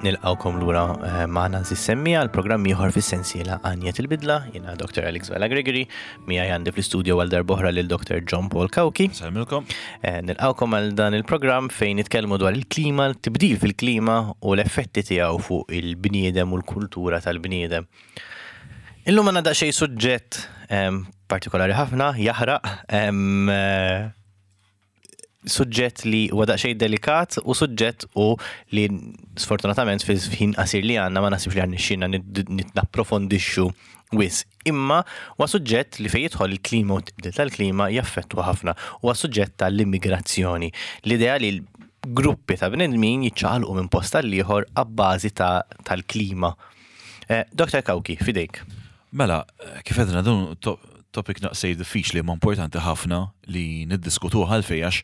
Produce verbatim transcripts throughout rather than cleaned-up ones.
Nilqgħukom lura eh, magħna s-semmiegħa l-programm ieħor fis-sensiela Għanjet il-Bidla, jiena Doctor Alex Vella Gregory, miegħi għandi fl-istudio għal darb'oħra lil Doctor John Paul Cauchi. Insellmilkom. Eh, Nilqgħukom għal dan il-programm fejn nitkellmu dwar il-klima, l-tibdil fil-klima u l-effetti tiegħu fuq il-bniedem u l-kultura tal-bniedem. Illum għandna daqsxejn suġġett em, partikolari ħafna, jaħraq, em, eh, suġġett li huwa daqsxejn delikat u suġġett u li sfortunatament fil-ħin qasir li għandna ma nasibx li għandna nitnapprofondixxu wisq. Imma huwa suġġett li fejn jidħol il-klima u tibdil tal-klima jaffettwa ħafna. Huwa suġġett tal-immigrazzjoni. L-idea li gruppi ta' bnedmin jiċċaqalqu minn post għal ieħor abbażi ta' tal-klima. Eh, Doctor Cauchi, fidejk. Mela, kif għedna, dun to topic naqsej diffiċli ma importanti ħafna li niddiskutu għalfejn, għax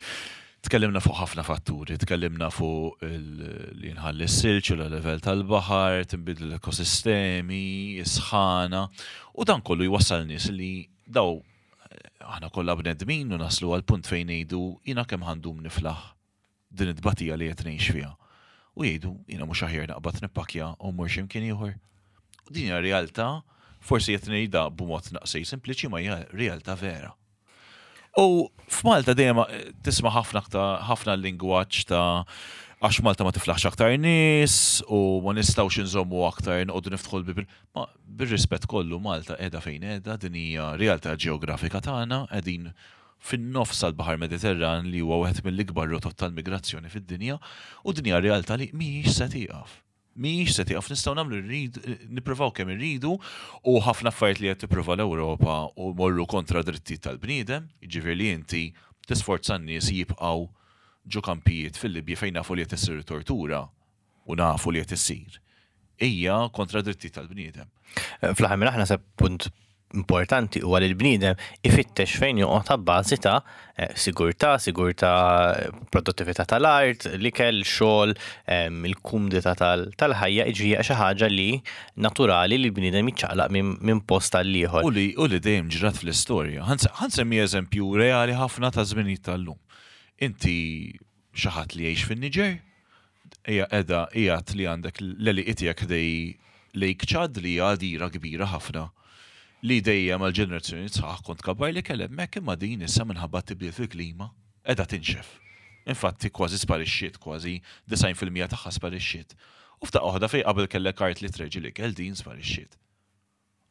tkellimna fuq ħafna fatturi, tkellimna fuq il- li nħalli s-silġ, il-level tal-baħar, tinbidlu l-ekosistemi, is-sħana, u dan kollu jwassal nies li daw aħna kollha bnedmin u naslu għal punt fejn ngħidu, "Jiena kemm ħa ndum niflaħ din it-tbatija li qed ngħix fiha?" U jgħidu, "Jiena mhux aħjar naqbad nippakja u mmur x'imkien ieħor?" U din hija realtà, forsi qed ngħidha b'mod naqsej sempliċi, ma hija realtà vera. U f'Malta dejjem tisma' ħafna aktar ħafna lingwaġġ ta' għax Malta ma tiflaħx aktar nies u ma nistgħux inżommu aktar, noqogħdu niftħu l-bibien. Ma bir-rispett kollu, Malta qiegħda fejn qiegħda, din hija realtà ġeografika tagħna, qegħdin fin-nofs tal-Baħar Mediterran li huwa wieħed mill-ikbar rotot tal-migrazzjoni fid-dinja, u din hija realtà li mhijiex se tieqaf. Mhijiex se tieqaf, nistgħu nagħmlu rridu, nippruvaw kemm irridu, u ħafna affarijiet li qed tipprova l-Ewropa u morru kontra drittijiet tal-bniedem, jiġifieri li inti tisforza n-nies jibqgħu ġo kampijiet fil-Libja fejn nafu li qed issir tortura u nafu li qed issir. Hija kontra drittijiet tal-bniedem. Fl-aħħar minn aħna se punt importanti huwa li l-bniedem ifittex fejn joqgħod ta' bażi ta' eh, sigurtà, sigurtà, produttività tal-art, l-ikel, xogħol, em, il-kumdità tal- tal-ħajja, jiġifieri xi ħaġa li naturali li l-bniedem jiċċaqlaq minn minn post għal ieħor. U li u li dejjem ġrat fl-istorja. Ħa nsemmi eżempju reali ħafna ta' żminijiet tal-lum. Inti xi ħadd li jgħix fin-Niġer, hija qiegħda qiegħed li għandek l-għelieqi tiegħek ħdejn Lake Chad, li hija għadira kbira ħafna, li dejjem għal ġenerazzjoni sħaħ kont kabbar li kellem hemmhekk, imma din issa minħabba tibdil fil-klima qiegħda tinxef. Infatti kważi sparixxiet, kważi disgħin fil-mija tagħha sparixxiet. U f'daqqa waħda, fejn qabel kellek art li treġi li kell, din sparixxiet.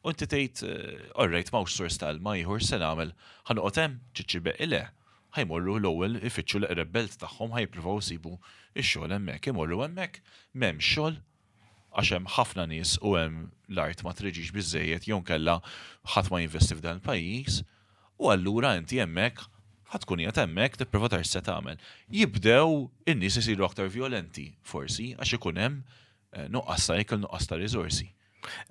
U inti tgħid, eh, "Alright, m'hawnx sors tal-ilma ieħor, se nagħmel? Ħa noqgħod hemm?" Ċiċċi le. Ħa jmorru l-ewwel ifittxu l-eqreb belt tagħhom, ħa jippruvaw isibu ix-xogħol hemmhekk. Imorru hemmhekk, m'hemmx xogħol għax hemm ħafna nies u hemm l-art ma treġix biżejjed jew kella ħadd ma jinvesti f'dan il-pajjiż, u allura inti hemmhekk ħa tkun qiegħed hemmhekk tipprova tara x'se tagħmel. Jibdew in-nies isiru aktar violenti forsi għax ikun hemm eh, nuqqas ta' ikel, nuqqas ta' riżorsi.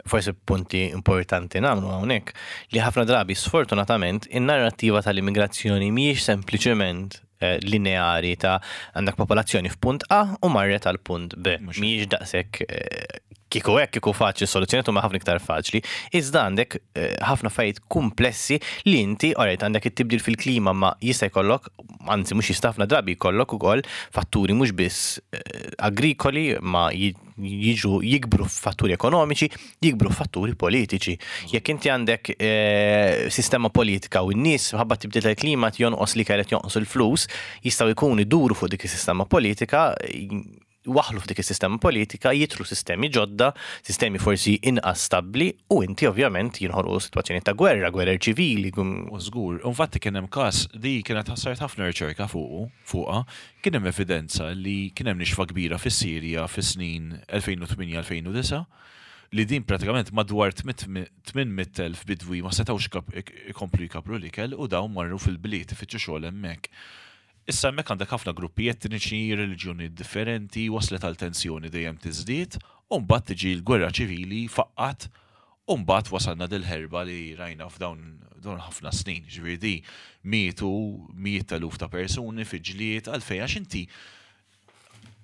Forsi punti importanti nagħmlu hawnhekk li ħafna drabi, sfortunatament, in-narrattiva tal-immigrazzjoni mhijiex sempliċement eh, lineari ta' għandek popolazzjoni f'punt A u marret għal punt B. Mhux Mhijiex daqshekk eh, kieku hekk kieku faċli, soluzzjoni huma ħafna iktar faċli. Iżda għandek eh, ħafna affarijiet komplessi li inti alright għandek it-tibdil fil-klima, ma jista' jkollok, anzi mhux jista', ħafna drabi jkollok ukoll fatturi mhux biss eh, agrikoli, ma ji- jiġu jikbru fatturi ekonomiċi, jikbru fatturi politiċi. Jekk inti għandek eh, sistema politika u n-nies ħabba tibdil tal-klima jonqos li kellek, jonqos il-flus, jistgħu jkunu iduru fuq dik is-sistema politika, waħlu f'dik is-sistema politika, jidħlu sistemi ġodda, sistemi forsi inqas stabbli, u inti ovvjament jinħolqu sitwazzjoni ta' gwerra, gwerra ċivili. gum- U żgur, infatti kien hemm każ di kienet ħassart ħafna riċerka fuqu, fuqha, kien hemm evidenza li kien hemm nixfa kbira fis-Sirja fis-snin elfejn u tmienja-elfejn u disgħa, li din pratikament madwar tmien mitt elf bidwi ma setgħux kap- ikomplu jkabru l-ikel u dawn marru fil-bliet ifittxu xogħol hemmhekk. Issa hemmhekk għandek ħafna gruppi etniċi, reliġjoni differenti, waslet għal tensjoni dejjem tiżdied, u mbagħad tiġi l-gwerra ċivili faqqat, u mbagħad wasalna dil-ħerba li rajna f'dawn dawn ħafna snin. Ġifieri di mietu mijiet eluf ta' persuni fi ġlied. Għalfejn? Għax inti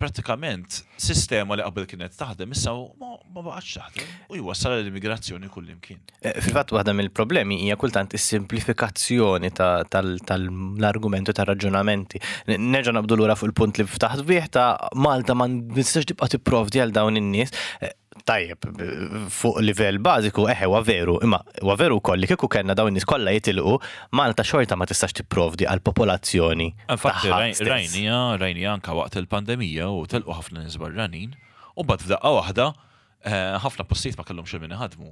pratikament sistema li qabel kienet taħdem issa ma Ma baqgħetx taħdem u jwassal l-immigrazzjoni kullimkien. Eh, Fil-fatt, waħda mill-problemi hija kultant is-simplifikazzjoni ta- tal- tal-argumenti, tar-raġunamenti. N- Nerġa' naqbdu lura fuq il-punt li ftaħt bih ta' Malta ma nistax tibqa' tipprovdi għal dawn in-nies. Eh, Tajjeb, b- fuq livell bażiku, eħe, huwa veru, imma huwa veru wkoll li kieku kellna dawn in-nies kollha jitilqu, Malta xorta ma tistax tipprovdi għal popolazzjoni Infatti, tagħha stess. rajnija, rajnija anka waqt il-pandemija u telqu ħafna nies barranin, u mbagħad f'daqqa waħda eh, ħafna postijiet ma kellhomx min iħadmu.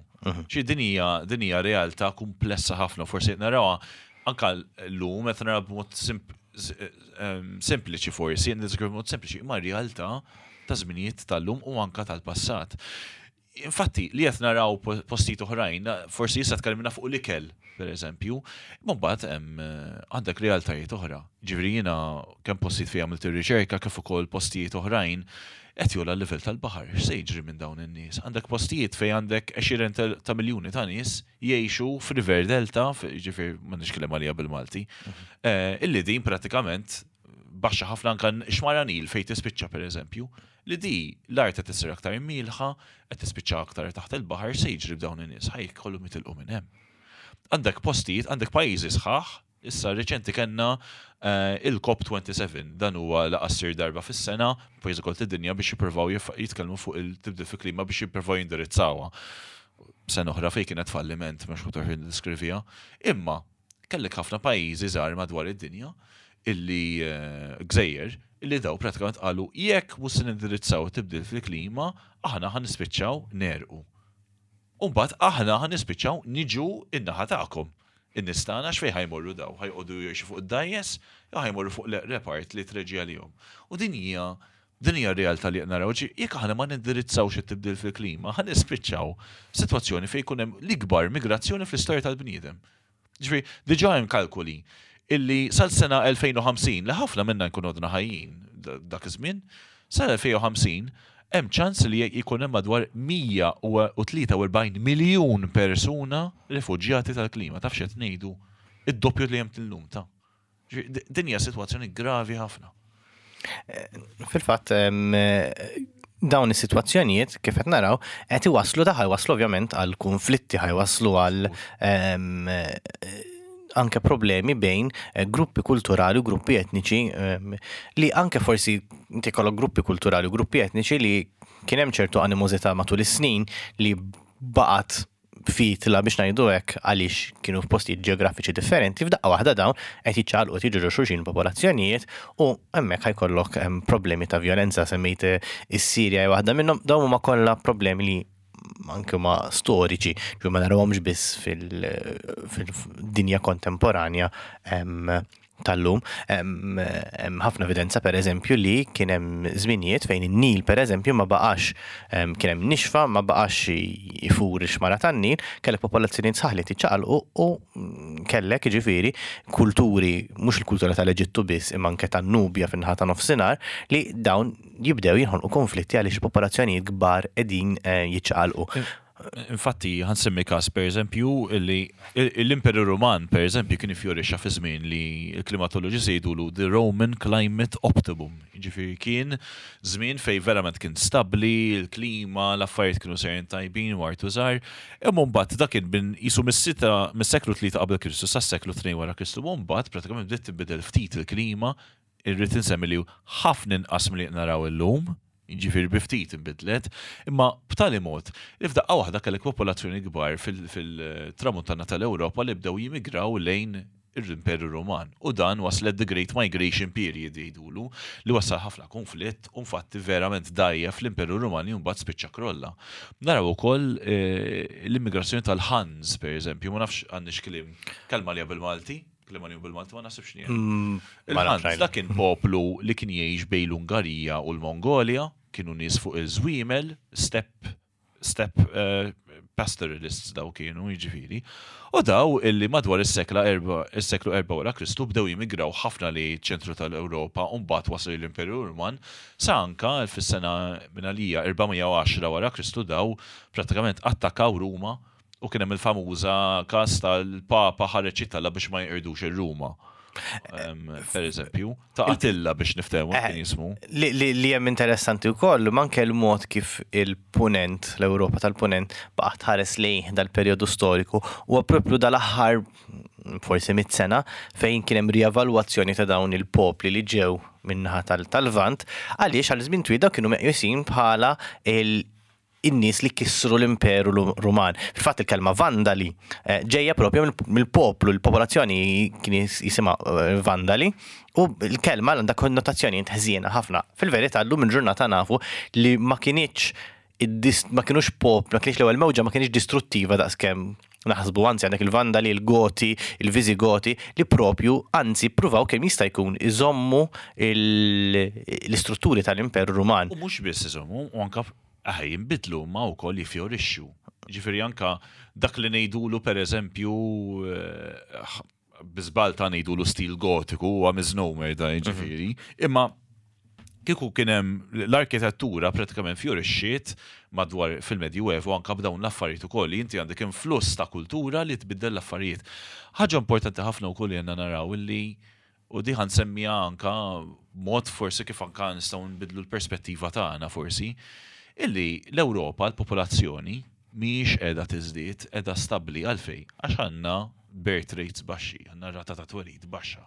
Xi din hija din hija realtà komplessa ħafna, forsi qed narawha anka llum qed naraw b'mod simp- s- em, sempliċi forsi, qed b'mod sempliċi, imma realtà ta' żminijiet tal-lum u anka tal-passat. Infatti, li qed naraw po- postijiet oħrajn, forsi issa tkellimna fuq l-ikel, per eżempju, imma mbagħad hemm eh, għandek realtajiet oħra. Ġifieri jiena kemm postijiet fejn għamilt ir-riċerka kif ukoll postijiet oħrajn qed jogħla l-livell tal-baħar. X'se jiġri minn dawn in-nies? Għandek postijiet fejn għandek għexieren tal- ta' miljuni ta' nies jgħixu f'River Delta, ġifieri m'għandix kelma għaliha bil-Malti, eh, illi din pratikament baxxa ħafna, anka xmara Nil fejn tispiċċa, per eżempju, li di l-art qed tisir aktar milħa, qed tispiċċa aktar taħt il-baħar. Se jiġri b'dawn in-nies? Ħa jkollhom jitilqu minn hemm. Għandek postijiet, għandek pajjiżi sħaħ, issa reċenti kellna eh, il-COP twenty-seven, dan huwa laqgħa ssir darba fis-sena, pajjiżi kollha id-dinja biex jippruvaw jif- jitkellmu fuq il-tibdil fil-klima biex jippruvaw jindirizzawha. Sena oħra fejn kienet falliment, mhux ħutar diskrivija. Imma kellek ħafna pajjiżi żgħar madwar id-dinja illi eh, gżejjer illi daw pratikament qalu: jekk mhux se nindirizzaw tibdil fil-klima, aħna ħa nispiċċaw negħrqu. U mbagħad aħna ħa nispiċċaw niġu in-naħa tagħkom. In-nies tagħna x'fejn ħa jmorru daw? Ħa joqogħdu jgħixu fuq id-dgħajjes jew ħa jmorru fuq l-repart li treġi għalihom? U din hija din hija realtà li qed naraw. Ġi, jekk aħna ma nindirizzawx it-tibdil fil-klima, ħa nispiċċaw sitwazzjoni fejn jkun hemm l-ikbar migrazzjoni fl-istorja tal-bniedem. Ġifieri, diġà hemm kalkoli illi sal-sena elfejn u ħamsin, li ħafna minna nkunu għadna ħajjin da- dak iż-żmien, sal-elfejn u ħamsin hemm ċans li jkun hemm madwar mija u tlieta u erbgħin miljun persuna rifuġjati tal-klima. Taf x'qed ngħidu? Id-doppju li hemm illum ta'. Ġifieri, d- Din hija sitwazzjoni gravi ħafna. Fil-fatt, em, dawn is-sitwazzjonijiet, kif qed naraw, qed iwasslu da iwasslu ovvjament għal konflitti, ħa jwasslu għal em, eh, anke problemi bejn eh, gruppi kulturali u gruppi etniċi em, li anke forsi inti kollok gruppi kulturali u gruppi etniċi li kien hemm ċertu animozità matul is-snin li baqgħet fitla, biex ngħidu hekk, għaliex kienu f'postijiet ġeografiċi differenti, f'daqqa waħda dawn qed jiċċaqalqu, qed jiġu xulxin popolazzjonijiet u hemmhekk ħa jkollok em, problemi ta' violenza. Semmejt eh, is-Sirja hija waħda minnhom, dawn huma kollha problemi li anke ma storiċi, ġu ma narawhomx biss fil- fil-dinja kontemporanja em, tal-lum. Hemm hemm ħafna evidenza, per eżempju, li kien hemm żminijiet fejn in-Nil, per eżempju, ma baqax em, kien hemm nixfa, ma baqax ifur ix-xmara tan-Nil, kellek popolazzjonijiet sħaħ li tiċċaqalqu u mm, kellek jiġifieri kulturi, mhux il-kultura tal-Eġittu biss, imma anke tan-Nubja fin-naħa ta' nofsinhar, li dawn jibdew jinħolqu konflitti għaliex popolazzjonijiet kbar qegħdin eh, jiċċaqalqu. Infatti, ħa nsemmi każ, per eżempju, li l-Imperu Roman, per eżempju, kien ifjorixxa fi żmien li l-klimatoloġi jgħidulu the Roman Climate Optimum. Ġifieri kien żmien fej verament kien stabli, il-klima, l-affarijiet kienu sejrin tajbin u artu żgħar. Imma mbagħad dak kien bin jisu mis-sita mis-seklu tlieta qabel Kristu sas-seklu tnejn wara Kristu, u mbagħad pratikament bdiet tinbidel ftit il-klima, irrid insemmi li ħafna inqas milli naraw illum, ġifieri bi ftit inbidlet, imma b'tali mod li f'daqqa waħda kellek popolazzjoni kbar fil-tramuntana tal-Ewropa li bdew jimigraw lejn l-Imperu Roman. U dan waslet the Great Migration Period jgħidulu, li wassal ħafna konflitt u infatti verament dgħajjef l-Imperu Roman li mbagħad spiċċa krolla. Naraw ukoll eh, l-immigrazzjoni tal-Huns, per eżempju, ma nafx għandix kliem kelma li bil-Malti, kelma li bil-Malti ma naħsibx li hemm. Mm, ma nafx. Il-Huns dak kien poplu li kien jgħix bejn l-Ungarija u l-Mongolja, kienu nies fuq il-żwiemel, steppe steppe uh, pastoralists daw kienu, jiġifieri. U daw illi madwar is-sekla erba, is-seklu erba wara Kristu bdew jimigraw ħafna li ċentru tal-Ewropa u mbagħad waslu l-Imperu Ruman sa anka fis-sena minn għalija erba' mija u għaxra wara Kristu daw pratikament attakkaw Ruma u kien hemm il-famuża każ tal-Papa ħareġ jittalla biex ma jqirdux ir-Ruma. Per eżempju, ta' Attila biex niftehmu Eh, kien jismu. Li, li, li hemm interessanti wkoll manke l-mod kif il-punent, l-Ewropa tal-punent, baqgħet tħares lejn dal-perjodu storiku u propju dal-aħħar forsi mit sena fejn kien hemm rievalwazzjoni ta' dawn il-popli li ġew min-naħa tal-Lvant, għaliex għal żmien twil dawn kienu meqjusin bħala il- in-nies li kissru l-Imperu Ruman. Fil-fatt il-kelma Vandali eh, ġejja propju mill-poplu, il-popolazzjoni kien jisimha eh, Vandali, u l-kelma għandha konnotazzjoni ħżiena ħafna. Fil-verità llum il-ġurnata nafu li ma kinitx ma kienux pop, ma kienx l-ewwel mewġa ma kienx distruttiva daqskemm naħsbu, anzi għandek il-Vandali, il-Goti, il-Visigoti li propju anzi pruvaw kemm jista' jkun iżommu l-istrutturi tal-Imperu Ruman. U mhux biss iżommu, u anka aħ jinbidlu ma wkoll jifjorixxu. Ġifieri anka dak li ngħidulu, pereżempju, eh, biżbal ta' ngħidulu stil gotiku, huwa misnomer da ġifieri, imma kieku kien hemm l-arkitettura pratikament fjorixxiet madwar fil-Medjuevu anka b'dawn l-affarijiet ukoll li inti għandek influss ta' kultura li tbiddel l-affarijiet. Ħaġa importanti ħafna wkoll li għandna naraw illi u di ħa nsemmija anka mod forsi kif anka nistgħu nbidlu l-perspettiva tagħna forsi, illi l-Ewropa, l-popolazzjoni mhijiex qiegħda tiżdied, qiegħda stabbli. Għalfejn? Għax għandna birth rates baxxi, għandna rata ta' twelid baxxa.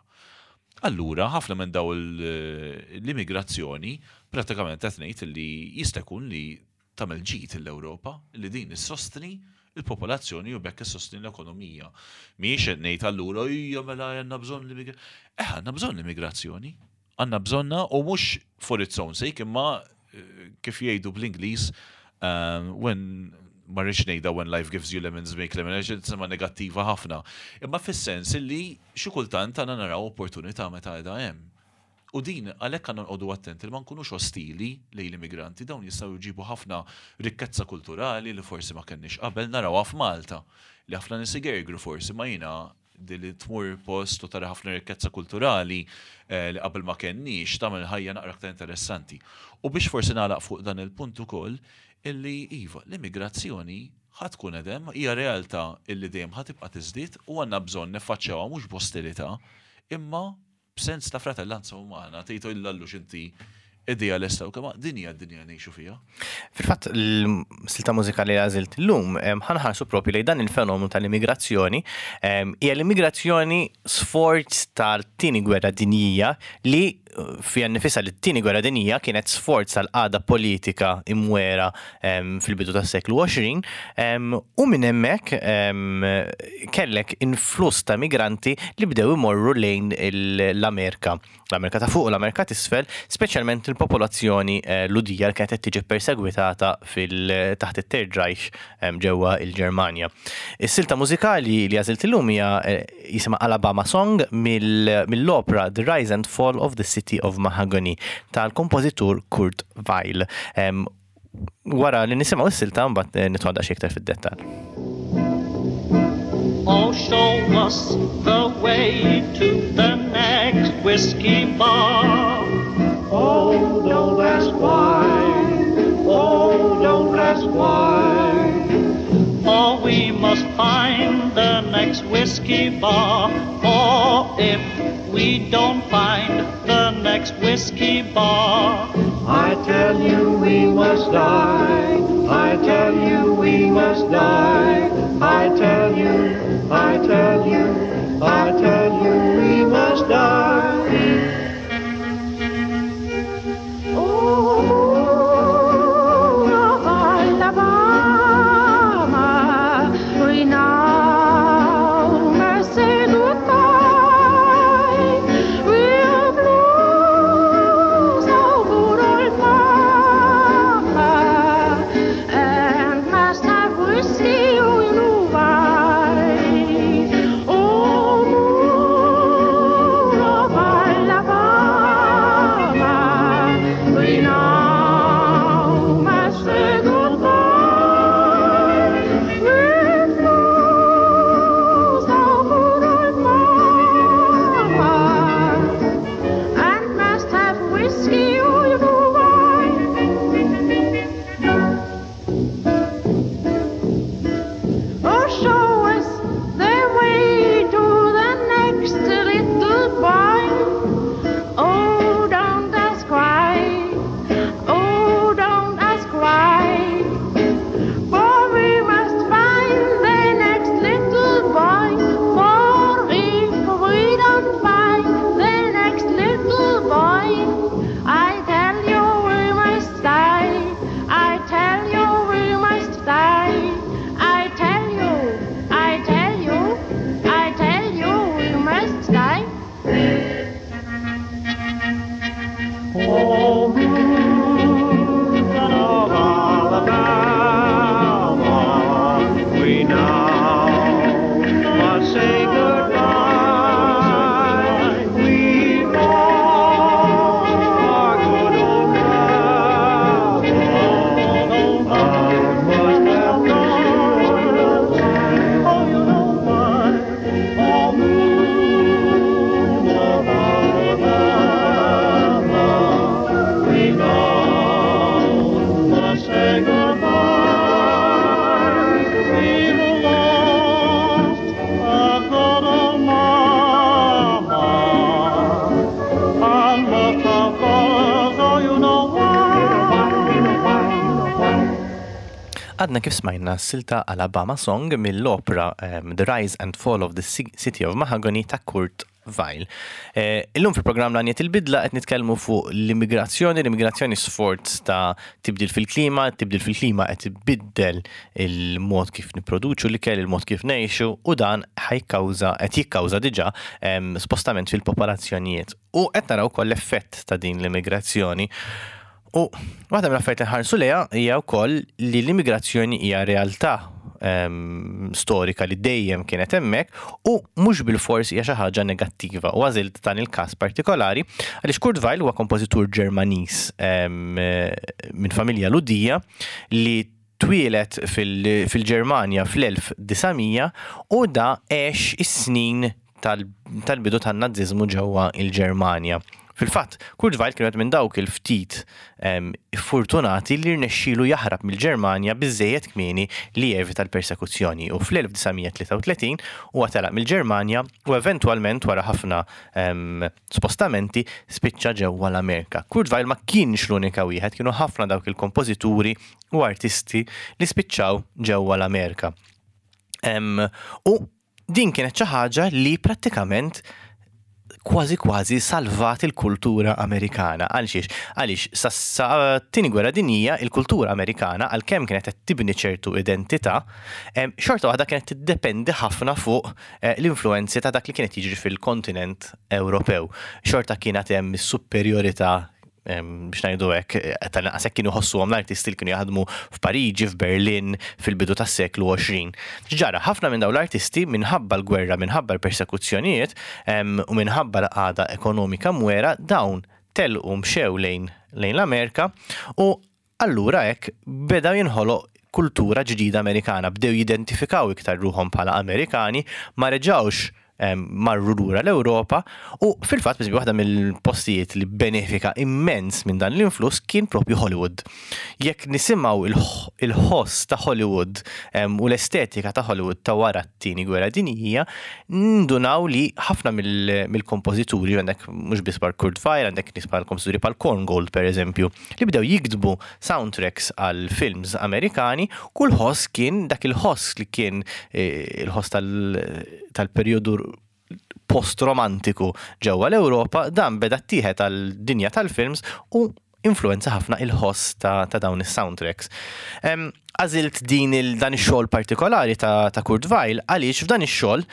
Allura, ħafna minn daw l-immigrazzjoni pratikament qed ngħid li jista' jkun li tagħmel ġid l-Ewropa, li din issostni il-popolazzjoni u bekk issostni l-ekonomija. Mhijiex qed ngħid allura hija mela għandna bżonn l-immigrazzjoni. Eh, għandna bżonn l-immigrazzjoni. Għandna bżonna u mhux for its own sake, imma eh, kif jgħidu bl-Ingliż, um, when ma rridx ngħidha "when life gives you lemons, make lemonade", sema negattiva ħafna. Imma fis-sens illi xi kultant għandna naraw opportunità meta qiegħda hemm. U din għalhekk għandna nqogħdu attenti li ma nkunux ostili lejn l-immigranti, dawn jistgħu jġibu ħafna rikkezza kulturali li forsi ma kenniex qabel. Narawha f'Malta, li ħafna nies igergru forsi, ma jiena di li tmur post u tara ħafna rikkezza kulturali eh, li qabel ma kenniex tagħmel ħajja naqra aktar interessanti. U biex forsi nagħlaq fuq dan il-punt ukoll, illi iva, l-immigrazzjoni ħa tkun hemm, hija realtà illi dejjem ħa tibqa' tiżdied u għandna bżonn niffaċċjawha mhux b'ostilità, imma b'sens ta' fratellanza umana. Tgħidu illallux inti idealista u kemm din hija d-dinja ngħixu fiha. Fil-fatt, l-silta mużikali li għażilt illum ħa nħarsu propju lejn dan il-fenomenu tal-immigrazzjoni. Hija l-immigrazzjoni sforz tal-Tieni Gwerra Dinjija, li eh, fija nifisha li t-Tieni Gwerra Dinjija kienet sforz tal-qagħda politika imwera fil-bidu tas-seklu għoxrin, u minn hemmhekk kellek influss ta' migranti li bdew imorru lejn l-Amerika. L-Amerika ta' fuq u l-Amerika t'isfel, speċjalment il-popolazzjoni eh, Lhudija li kienet qed tiġi persegwitata fil taħt it-Third Reich ġewwa il-Ġermanja. Is-silta mużikali li għażilt illum hija eh, jisimha Alabama Song mill-opera The Rise and Fall of the City of Mahagonny tal-kompożitur Kurt Weill. Wara li nisimgħu is-silta mbagħad eh, nidħol daqsxejn iktar fid-dettall. Oh, show us the way to the next whiskey bar. Oh, don't ask why. Oh, don't ask why. For we must find the next whiskey bar. For if we don't find the next whiskey bar, I tell you we must die. I tell you we must die. I tell you, I tell you, I tell you we must die. Oh, moon of Alabama, we now must say goodbye. We'll blues our good old mama, and must have whiskey, you know why. Oh, Għadna kif smajna silta Alabama Song mill-opera um, The Rise and Fall of the City of Mahagonny ta' Kurt Weill. Eh, illum fil-programm L-Għanja tal-Bidla qed nitkellmu fuq l-immigrazzjoni, l-immigrazzjoni sforz ta' tibdil fil-klima, tibdil fil-klima qed ibiddel il-mod kif nipproduċu l-ikel, il-mod kif ngħixu u dan ħa jikkawża qed jikkawża diġà em, spostament fil-popolazzjonijiet. U qed naraw ukoll l-effett ta' din l-immigrazzjoni. U waħda mill-affarijiet li nħarsu lejha hija wkoll li l-immigrazzjoni hija realtà em, storika li dejjem kienet hemmhekk u mhux bil-fors hija xi ħaġa negattiva. U għażilt dan il-każ partikolari għaliex Kurt Weill huwa kompożitur Ġermaniż em, minn familja Lhudija li twieled fil-Ġermanja fl-elf disa' mija u da għex is-snin tal-bidu tan-Naziżmu ġewwa il-Ġermanja. Fil-fatt, Kurt Weill kien minn dawk il-ftit fortunati li rnexxielu jaħrab mill-Ġermanja biżejjed kmieni li jevita l-persekuzzjoni u fl-elf disa' mija tlieta u tletin huwa telaq mill-Ġermanja u eventwalment, wara ħafna spostamenti, spiċċa ġewwa l-Amerika. Kurt Weill ma kienx l-unika wieħed, kienu ħafna dawk il-kompożituri u artisti li spiċċaw ġewwa l-Amerika. U din kienet xi ħaġa li prattikament kważi kważi salvat il-kultura Amerikana. Għalxiex? Għaliex sa, sa tieni gwerra dinjija, il-kultura Amerikana, għalkemm kienet qed tibni ċertu identità, xorta waħda kienet tiddependi ħafna fuq eh, l-influenzi ta' dak li kienet jiġri fil-kontinent Ewropew. Xorta kienet hemm is-superjorità, biex ngħidu hekk, eh, tal-inqas hekk kienu ħossuhom l-artisti li kienu jaħdmu f'Pariġi, f'Berlin, fil-bidu tas-seklu għoxrin. Ġara, ħafna minn dawn l-artisti, minħabba l-gwerra, minħabba l-persekuzzjonijiet u minħabba l-qagħda ekonomika mwera, dawn telqu, mxew lejn lejn l-Amerika u allura hekk beda jinħoloq kultura ġdida Amerikana, bdew jidentifikaw iktar ruħhom bħala Amerikani, ma reġawx marru lura l-Ewropa. U fil-fatt biss waħda mill-postijiet li benefika immens minn dan l-influss kien propju Hollywood. Jekk nisimgħu il-ħoss ta' Hollywood u l-estetika ta' Hollywood ta' wara t-tieni gwerra dinjija, nindunaw li ħafna mill-kompożituri, għandek mhux biss bħal Kurt Weill, għandek nies bħal kompożituri bħal Korngold, per eżempju, li bdew jiktbu soundtracks għal films Amerikani, kull ħoss kien dak il-ħoss li kien eh, il-ħoss tal-perjodu post-romantiku ġewwa l-Ewropa, dan beda ttieħed għal-dinja tal-films u influenza ħafna il-ħoss ta', ta dawn is-soundtracks. Għażilt din il, dan ix-xogħol partikolari ta', ta' Kurt Weill għaliex f'dan ix-xogħol,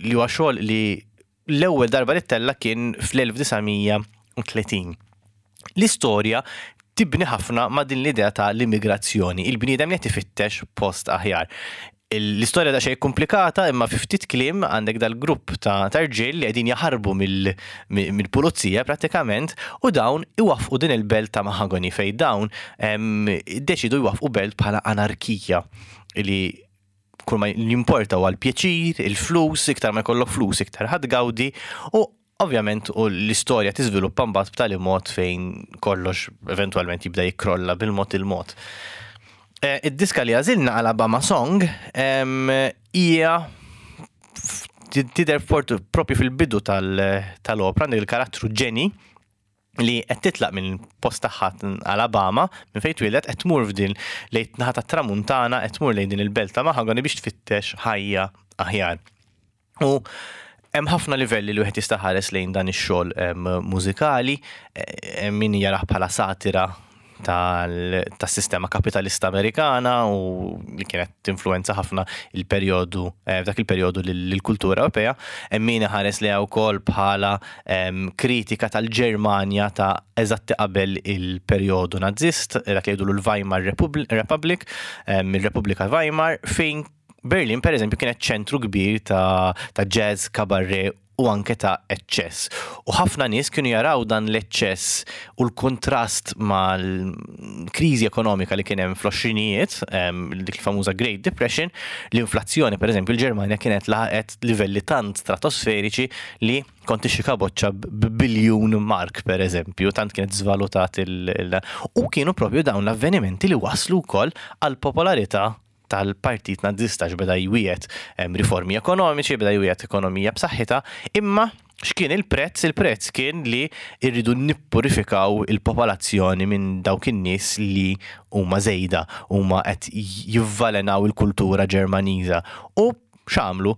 li huwa xogħol li l-ewwel darba li ttella' kien fl-elf disa' mija u tletin. L-istorja tibni ħafna ma' din l-idea ta' l-immigrazzjoni, il-bniedem li qed ifittex post aħjar. L-istorja da xejn komplikata, imma fi ftit kliem għandek dal-grupp ta' rġiel li qegħdin jaħarbu mill-pulizija prattikament u dawn iwaffqu din il-belt ta' Mahagoni, fej dawn deċidu jwaffqu belt bħala anarkija li kull ma jimporta huwa l-pjaċir, il-flus, iktar ma jkollok flus, iktar ħa tgawdi. U ovvjament u l-istorja tiżviluppa mbagħad b'tali mod fejn kollox eventwalment jibda jikkrolla bil-mod il-mod. Eh, id-diska li għażilna, Alabama Song, hija tidher propju fil-bidu tal-opra, għandek il-karattru Jenny li qed titlaq minn post tagħha Alabama, minn fejn twieldet, qed tmur f'din lejn naħa tat-tramuntana, qed tmur lejn din il-belt ta' Mahagoni biex tfittex ħajja aħjar. U hemm ħafna livelli li wieħed jista' ħares lejn dan ix-xogħol mużikali, hemm min jarah bħala satira tas-sistema kapitalista Amerikana u li kienet tinfluenza ħafna il-perjodu, eh, f'dak il-perjodu lill-kultura Ewropea, hemm min ħares li wkoll bħala kritika tal-Ġermanja ta' eżatti qabel il-perjodu Nazist, dak li jgħidu l-Weimar Republic, il-Repubblika Weimar, fejn Berlin per eżempju kienet ċentru kbir ta', ta' jazz, cabaret u anke ta' eċċess. U ħafna nies kienu jaraw dan l-eċċess u l-kontrast mal-kriżi ekonomika li kien hemm fl-għoxrinijiet, dik il-famuża Great Depression, l-inflazzjoni, per eżempju, l-Ġermanja kienet laħqet livelli tant stratosferiċi li kont tixtri kaboċċa b'biljun mark, per eżempju, tant kienet żvalutat il- U kienu propju dawn l-avvenimenti li waslu wkoll għal popolarità tal-partit Nazista, beda jwiegħed riformi ekonomiċi, beda jwiegħed ekonomija b'saħħitha, imma X'kien il-prezz? Il-prezz kien li irridu nippurifikaw il-popolazzjoni minn dawk in-nies li huma żejda, huma qed jivvalenaw il-kultura Ġermaniża. U x'għamlu?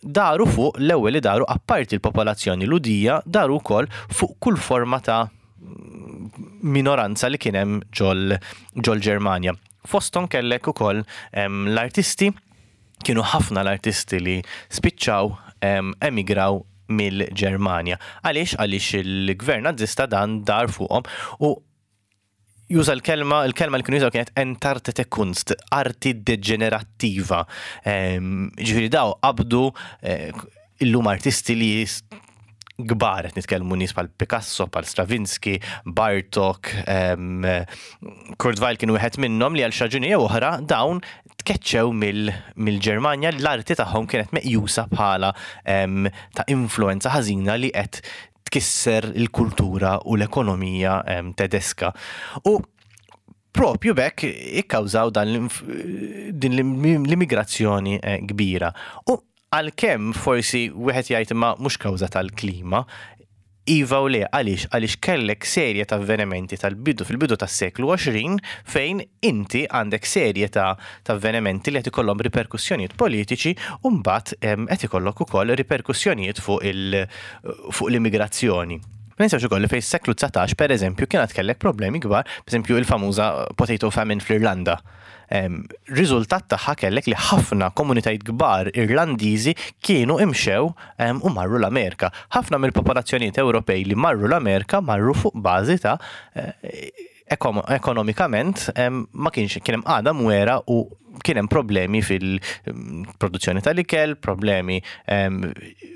Daru fuq l-ewwel li daru, apparti l-popolazzjoni Lhudija, daru wkoll fuq kull forma ta' minoranza li kien hemm ġol ġol Ġermanja. Fosthom kellek ukoll em, l-artisti, kienu ħafna l-artisti li spiċċaw em, emigraw mill-Ġermanja. Għaliex? Għaliex il-gvern nazista dan dar fuqhom u juża l-kelma, il-kelma li kienu jużaw kienet "entartete Kunst", arti deġenerattiva. Em, Ġifieri daw qabdu eh, illum artisti li jis- kbar, qed nitkellmu nies bħal Picasso, bħal Stravinsky, Bartok, um, Kurt Weill kienu wieħed minnhom li għal xi raġuni jew oħra dawn tkeċċew mill-Ġermanja, l-arti tagħhom kienet meqjusa bħala em, ta' influenza ħażina li qed tkisser il-kultura u l-ekonomija em, tedeska. U propju b'hekk ikkawżaw dan l-inf- din l-immigrazzjoni eh, kbira. U għalkemm forsi wieħed jgħid imma mhux kawża tal-klima, iva u le, għaliex? Għaliex kellek serje ta' avvenimenti tal-bidu fil-bidu tas-seklu għoxrin fejn inti għandek serje ta' ta' avvenimenti li qed ikollhom riperkussjonijiet politiċi u mbagħad em, qed ikollok ukoll riperkussjonijiet fuq il fuq l-immigrazzjoni. Ma ninsewx ukoll li fejn seklu dsatax, per eżempju, kienet kellek problemi kbar, per eżempju il-famuża potato famine fl-Irlanda. Em, Riżultat tagħha kellek li ħafna komunitajiet kbar Irlandiżi kienu imxew em, u marru l-Amerika. Ħafna mill-popolazzjonijiet Ewropej li marru l-Amerika marru fuq bażi ta' eh, ekom- ekonomikament em, ma kienx kien hemm qagħda mwera u kien hemm problemi fil-produzzjoni tal-ikel, problemi em,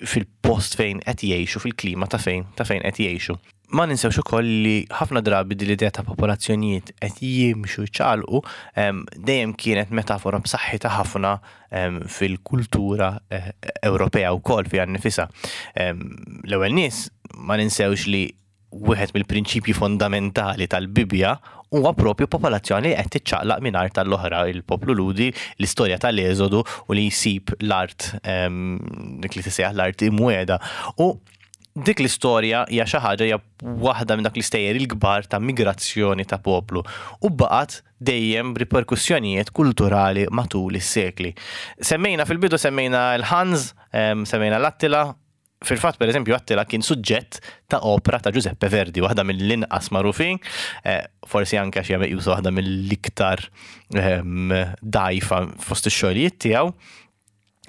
fil-post fejn qed jgħixu, fil-klima ta' fejn ta' fejn qed jgħixu. Ma ninsewx ukoll li ħafna drabi din l-idea ta' popolazzjonijiet qed jimxu jċaqalqu em, dejjem kienet metafora b'saħħitha ħafna em, fil-kultura eh, Ewropea wkoll fiha nnifisha. Em, L-ewwel nies, ma ninsewx li wieħed mill-prinċipji fondamentali tal-Bibja huwa propju popolazzjoni li qed tiċċaqlaq minn art tal-oħra, il-poplu Lhudi, l-istorja tal-Eżodu u li jsib l-art em, dik li tisejjaħ l-art imwiegħda. U dik l-istorja hija xi ħaġa, hija waħda minn dak l-istejjer il-kbar ta' migrazzjoni ta' poplu u baqgħet dejjem riperkussjonijiet kulturali matul is-sekli. Semmejna fil-bidu, semmejna l-Huns, em, semmejna l-Attila. Fil-fatt, per eżempju, Attila kien suġġett ta' opera ta' Giuseppe Verdi, waħda mill-inqas magħrufin, eh, forsi anke għax hija meqjusa waħda mill-iktar em, dgħajfa fost ix-xogħlijiet tiegħu,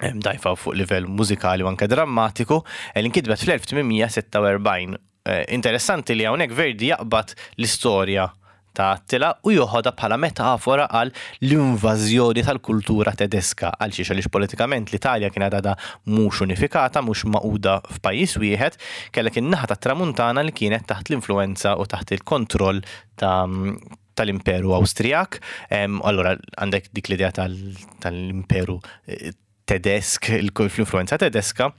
em, dgħajfa fuq livell mużikali u anke drammatiku, eh, li nkitbet fl-elf tmien mija sitta u erbgħin. Eh, Interessanti li hawnhekk Verdi jaqbad l-istorja ta' Attila u joħodha bħala metafora għal l-invażjoni tal-kultura tedeska, għal xiex? Għaliex politikament l-Italja kienet għadha mhux unifikata, mhux magħquda f'pajjiż wieħed, kellek in-naħa tat-Tramuntana li kienet taħt l-influenza u taħt il-kontroll ta' tal-Imperu Awstrijak. Em, Allora għandek dik l-idea tal- tal-Imperu eh, Tedesk, l-influenza tedeska.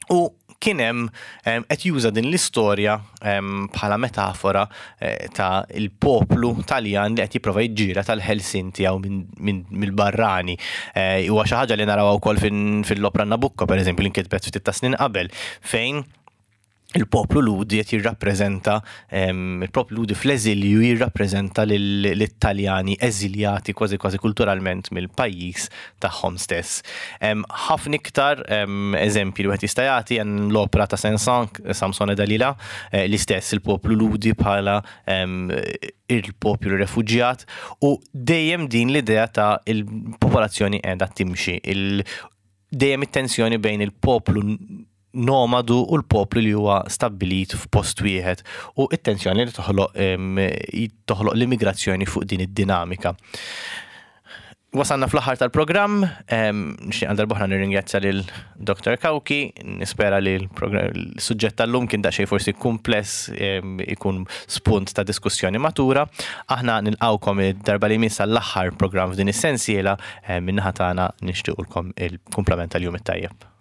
U kien hemm em, qed juża din l-istorja em, bħala metafora eh, ta' il-poplu Taljan li qed jipprova jiġġieled għall-ħelsien tiegħu minn- minn- mill-barrani. Eh, Huwa xi ħaġa li naraw ukoll fin- fil-opera Nabucco, pereżempju, li nkitbet ftit ta' snin qabel, fejn il-poplu Lhudi qed jirrappreżenta em, il-poplu Lhudi fl-eżilju jirrappreżenta lill-Italjani eżiljati kważi kważi kulturalment mill-pajjiż tagħhom stess. Em, Ħafna iktar em, eżempji li wieħed jista' jagħti hemm l-opera ta' Saint-Saëns, Samson e Dalila, eh, l-istess il-poplu Lhudi bħala em, il-poplu refuġjat u dejjem din l-idea ta' il-popolazzjoni qiegħda timxi, il dejjem it-tensjoni bejn il-poplu nomadu u l-poplu li huwa stabbilit f'post wieħed u it-tensjoni li toħloq em, toħloq l-immigrazzjoni fuq din id-dinamika. Wasanna fl-aħħar tal-programm, em, nixtieq għal darb'oħra nirringrazzja lil Doktor Cauchi, nispera li l-suġġett tal-lum kien daqsxejn forsi kumpless, em, ikun spunt ta' diskussjoni matura. Aħna nilqawkom id-darba li jmiss l-aħħar programm f'din is-sensiela, min-naħa tagħna nixtiequlkom il-kumplament tal-jum it-tajjeb.